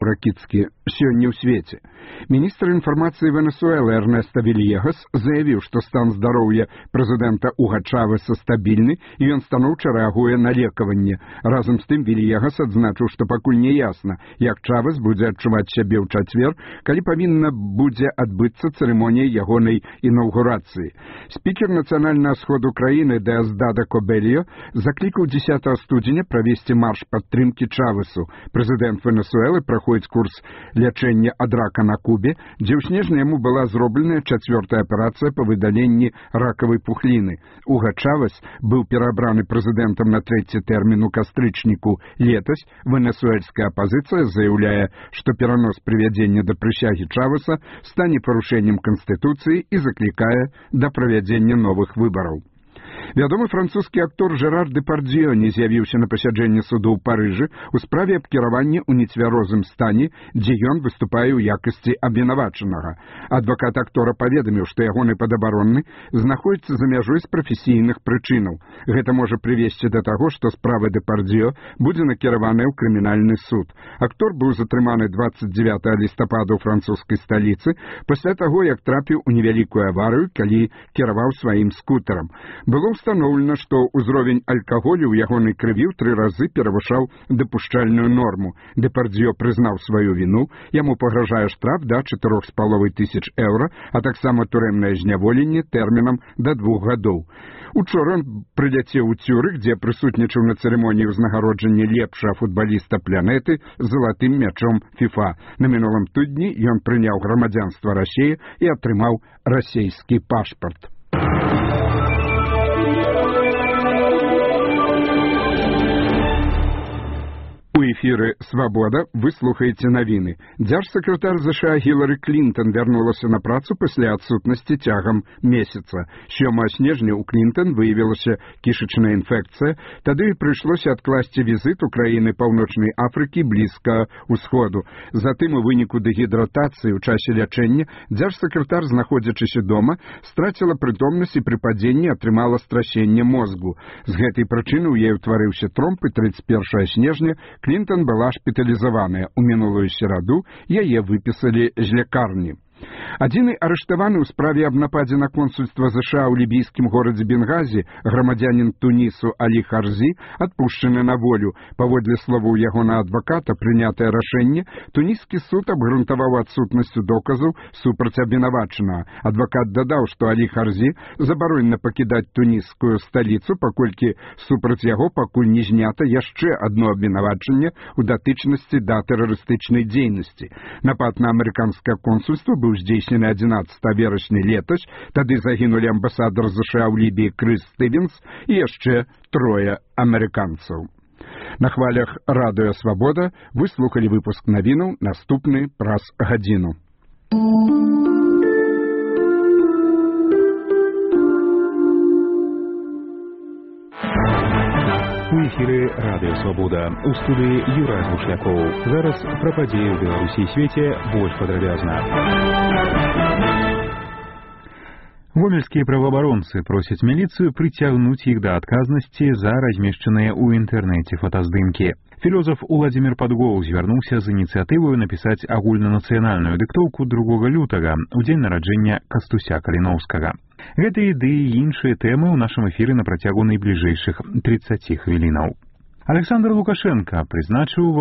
Ракіцкі сёння ў свеце. Міністр інфармацыі Венесуэлы Эрнеста Вильегас заявіў, што стан здароўя прэзідэнта Уга Чавеса стабільны і ён станоўча рэагуе на лекаванне. Разам з тым Вильегас адзначыў, што пакуль не ясна, як Чавес будзе адчуваць сябе ў чацвер, калі павінна будзе адбыцца цырымонія ягонай інаўгурацыі. Спікер нацыянальнага сходу краіны Деосдадо Кобельо заклікаў 10 студзеня правесці марш падтрымкі Чавесу. Прэзідэнт Венесуэлы праходзіць курс лячэння ад рака на Кубе, дзе ў снежні яму была зробленая 4-я аперацыя па выдаленні ракавай пухліны. Уга Чавес быў перабраны прэзідэнтам на 3-й тэрмін у кастрычніку летась. Венесуэльская апазіцыя заяўляе, што перанос прывядзення да прысягі Чавеса стане парушэннем канстытуцыі і заклікае да правядзення новых выбараў. Вядомы французскі актор Жерар Депардзьё не з'явіўся на пасяджэнні суду ў Парыжы ў справе аб кіраванні ў нецвярозым стане, дзе ён выступае ў якасці абвінавачанага. Адвакат актора паведаміў, што ягоны падабаронны знаходзіцца за мяжой з прафесійных прычынаў. Гэта можа прывесці да таго, што справа Депардзьё будзе накіраваная ў крымінальны суд. Актор быў затрыманы 29 лістапада ў французскай сталіцы пасля таго, як трапіў у невялікую аварыю, калі кіраваў сваім скутарам. Было установлена, што ўзровень алкаголю ў ягонай крыві ў 3 разы перавышаў дапушчальную норму. Депардзьё прызнаў сваю віну, яму пагражае штраф да 4500 еўра, а таксама турэмнае зняволенне тэрмінам да 2 гадоў. Учора ён прыляцеў у Цюрых, дзе прысутнічаў на цырымоніі ўзнагароджання лепшага футбаліста планеты залатым мячом ФІФА. На мінулым тыдні ён прыняў грамадзянства Расіі і атрымаў расейскі пашпарт. У эфіры «Свабода» вы слухаеце навіны. Дзяржсакратар ЗША Гілары Клінтон вярнулася на працу пасля адсутнасці цягам месяца. 7 снежня ў Клінтон выявілася кішачная інфекцыя, тады прыйшлося адкласці візіт у краіны Паўночнай Афрыкі блізка ўсходу. Затым у выніку дэгідратацыі ў часе лячэння дзяржсакратар, знаходзячыся дома, страціла прытомнасць і пры падзенні атрымала страсенне мозгу. З гэтай прычыны ў яе ўтварыўся тромб, і 31 снежня Клінтон была шпіталізаваная. У мінулую сераду яе выпісалі з лякарні. Адзіны арыштаваны ў справе аб нападзе на консульства ЗША ў лібійскім горадзе Бенгазі, грамадзянін Тунісу Алі Харзі, адпушчаны на волю. Паводле словаў ягонага адваката, прынятае рашэнне туніскі суд абгрунтаваў адсутнасцю доказаў супраць абвінавачанага. Адвакат дадаў, што Алі Харзі забаронена пакідаць тунісскую сталіцу, паколькі супраць яго пакуль не знята яшчэ адно абвінавачанне ў датычнасці да тэрарыстычнай дзейнасці. Напад на амерыканскае консульства быў здзейснены 11 верасня летась, тады загінулі амбасадар ЗША ў Лібіі Крыс Стывенс і яшчэ 3 амерыканцаў. На хвалях радыё «Свабода» вы слухалі выпуск навінаў, наступны праз гадзіну. У эфіры радыё «Свабода». У студыі Юрай Глушлякоў. Зараз пра падзеі ў Беларусі і свеце больш падрабязна. Гомельскія праваабаронцы просяць міліцыю прыцягнуць іх да адказнасці за размешчаныя ў інтэрнэце фотаздымкі. Філёзаф Уладзімір Падгоў звярнуўся з ініцыятываю напісаць агульнанацыянальную дыктоўку 2 лютага, у дзень нараджэння Кастуся Каліноўскага. Гэтыя ідэі і іншыя тэмы ў нашым эфіры на працягу найбліжэйшых 30 хвілінаў. Александр Лукашенко прызначыў